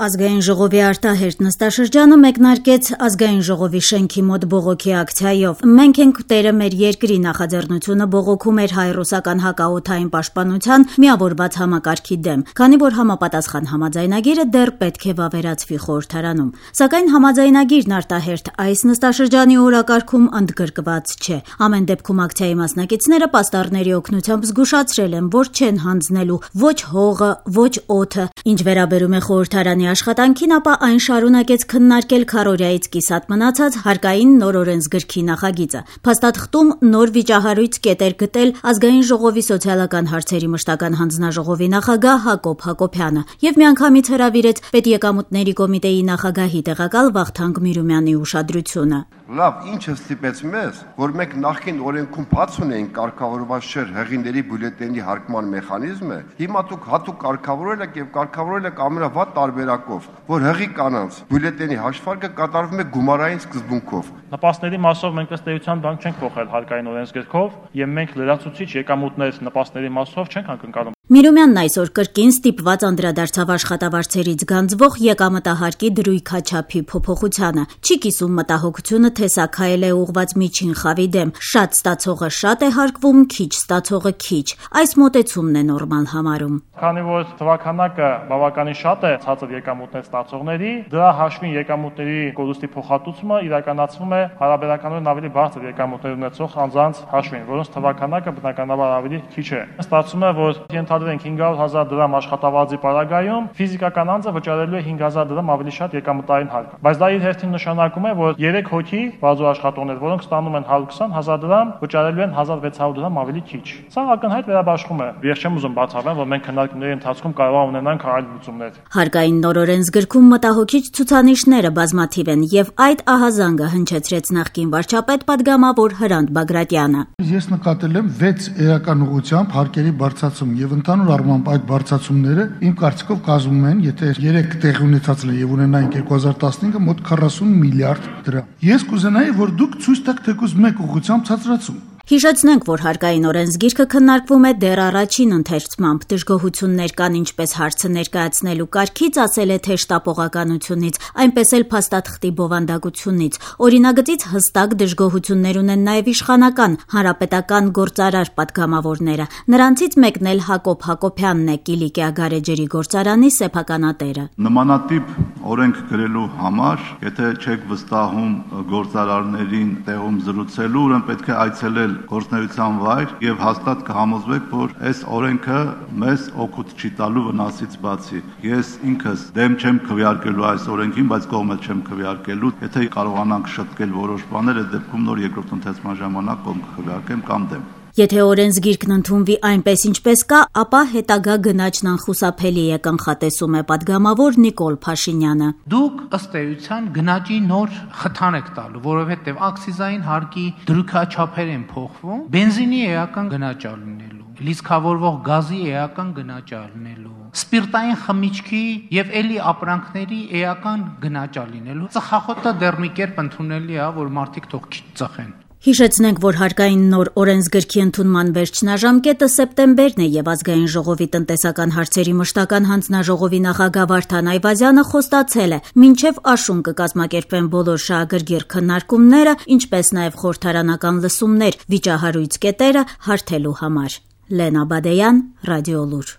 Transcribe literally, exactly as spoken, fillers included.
Ազգային ժողովի արտահերթ նստաշրջանը մեկնարկեց Ազգային ժողովի շենքի մոտ բողոքի ակցիայով։ «Մենք ենք տերը մեր երկրի» նախաձեռնությունը բողոքում էր հայ-ռուսական հակաօդային պաշտպանության միավորված համակարգի դեմ, քանի որ համապատասխան համաձայնագիրը դեռ պետք է վավերացվի խորհրդարանում։ Սակայն համաձայնագիրն արտահերթ այս նստաշրջանի օրակարգում ընդգրկված չէ։ Ամեն դեպքում ակցիայի մասնակիցները պաստառների օգնությամբ զգուշացրել են, որ չեն հանձնելու ոչ հողը, ոչ օդը։ Ինչ վերաբերում է խորհրդարանի աշխատանքին, ապա այն շարունակեց քննարկել քառօրյայից կիսատ մնացած հարկային նոր օրենսգրքի նախագիծը։ Փաստաթղթում նոր վիճահարույց կետեր գտել Ազգային ժողովի սոցիալական հարցերի մշտական հանձնաժողովի նախագահ Հակոբ Հակոբյանը եւ միանգամից հրավիրեց պետեկամուտների կոմիտեի նախագահի տեղակալ Վախթանգ Միրումյանի ուշադրությունը։ Լավ, ինչը ստիպեց մեզ, որ մենք նախկին օրենքում բաց ունեինք կարգավորված չէր հեղիների բյուլետենի հարկման մեխանիզմը, հիմա դուք հատուկ կարգավորել եք եւ կարգավորել եք ամենավատ տարբերակով, որ հեղի կանանց բյուլետենի հաշվարկը կատարվում է գումարային սկզբունքով։ Նպաստների մասով մենք ըստ էության բանկ չենք փոխել հարկային օրենսգրքով եւ մենք լրացուցիչ եկամուտներ նպաստների մասով չենք ակնկալում։ Միրումյանն այսօր կրկին ստիպված անդրադարձավ աշխատավարձերից գանձվող եկամտահարկի դրույքաչափի փոփոխությանը։ Չի կիսում մտահոգությունը, թե սա քայլ է ուղղված միջին խավի դեմ։ Շատ ստացողը շատ է հարկվում, քիչ ստացողը քիչ։ Այս մոտեցումն է նորմալ համարում։ Քանի որ թվականակը բավականին շատ է ցածր եկամուտներ ստացողների, դրա հաշվին եկամուտների կորուստի փոխհատուցումը իրականացվում է հարաբերականորեն ավելի բարձր եկամուտներ ունեցող անձանց հաշվին, որոնց թվականակը բնականաբար ավելի քիչ է։ Ստացվում է, որ ենթադրենք հինգ հարյուր հազար դրամ աշխատավարձի պարագայում ֆիզիկական անձը վճարելու է հինգ հազար դրամ ավելի շատ եկամտային հարկ։ Բայց դա իր հերթին նշանակում է, որ երեք հոգի բազու աշխատողներ, որոնք ստանում են հարյուր քսան հազար դրամ, վճարելու են հազար վեց հարյուր դրամ ավելի քիչ։ Սա ակնհայտ վերաբաշխում է։ Ես չեմ ուզում բացառել, որ մենք քննարկումների ընթացքում կարող է ունենանք այլ լուծումներ։ Հարկային նոր օրենսգրքում մտահոգիչ ցուցանիշները բազմաթիվ են եւ այդ ահազանգը հնչեցրեց նախկին վարչապետ падգամավոր Հրանտ Բագրատյանը։ Ես նկատել եմ վեց էական ուղղությամբ հարկերի բարձրացում եւ ընդհանուր առմամբ այդ բարձրացումները իմ կարծիքով կազմում են, եթե երեք տեղի ունեցածն է եւ ունենայինք երկու հազար տասնհինգը մոտ քառասուն միլիարդ դրամ։ Ես կուզենայի, որ դուք ցույց տաք թեկուզ մեկ ուղղությամբ ցածրացում։ Հիշեցնենք, որ հարկային օրենսգիրքը քննարկվում է դեռ առաջին ընթերցմամբ։ Դժգոհություններ կան ինչպես հարցը ներկայացնելու կարգից, ասել է թե շտապողականությունից, այնպես էլ փաստաթղթի բովանդակությունից։ Օրինագծից հստակ դժգոհություններ ունեն նաև իշխանական, հանրապետական գործարար падգամավորները։ Նրանցից մեկն էլ Հակոբ Հակոբյանն է, Կիլիկիա գարեջրի գործարանի սեփականատերը։ Նմանատիպ օրենք գրելու համար, եթե չեք վստահում գործարարներին տեղում զրուցելու, ուրեմն պետք է այցելել գործնեության վայր եւ հաստատ կհամոզվեք, որ այս օրենքը մեզ օգուտ չի տալու վնասից բացի։ Ես ինքս դեմ չեմ քվեարկելու այս օրենքին, բայց կողմը չեմ քվեարկելու։ Եթե կարողանանք շտկել որոշ բաներ, այդ դեպքում նոր երկրորդ ընթացման ժամանակ կողմ քվեարկեմ կամ դեմ։ Եթե օրենսգիրքն ընդունվի այնպես ինչպես կա, ապա հետագա գնաճն անխուսափելի է, կանխատեսում է падգամավոր Նիկոլ Փաշինյանը։ Դուք ըստ էության գնաճի նոր խթան եք տալու, որովհետև ակցիզային հարկի դրույքաչափեր են փոխվում, բենզինի էական գնաճ ալնելու, լիցքավորվող գազի էական գնաճ ալնելու, սպիրտային խմիչքի եւ էլի ապրանքների էական գնաճ ալինելու։ Ծխախոտը դեռ մի կերպ ընդունելի է, որ մարդիկ թող քիչ ծխեն։ Հիշեցնենք, որ հարկային նոր օրենսգրքի ընդունման վերջնաժամկետը սեպտեմբերն է եւ Ազգային ժողովի տնտեսական հարցերի մշտական հանձնաժողովի նախագահ Վարդան Այվազյանը խոստացել է, մինչեւ աշուն կկազմակերպվեն բոլոր շահագրգիռ քննարկումները, ինչպես նաեւ խորհրդարանական լսումներ, վիճահարույց կետերը հարթելու համար։ Լենա Բադեյան, Ռադիոլուր։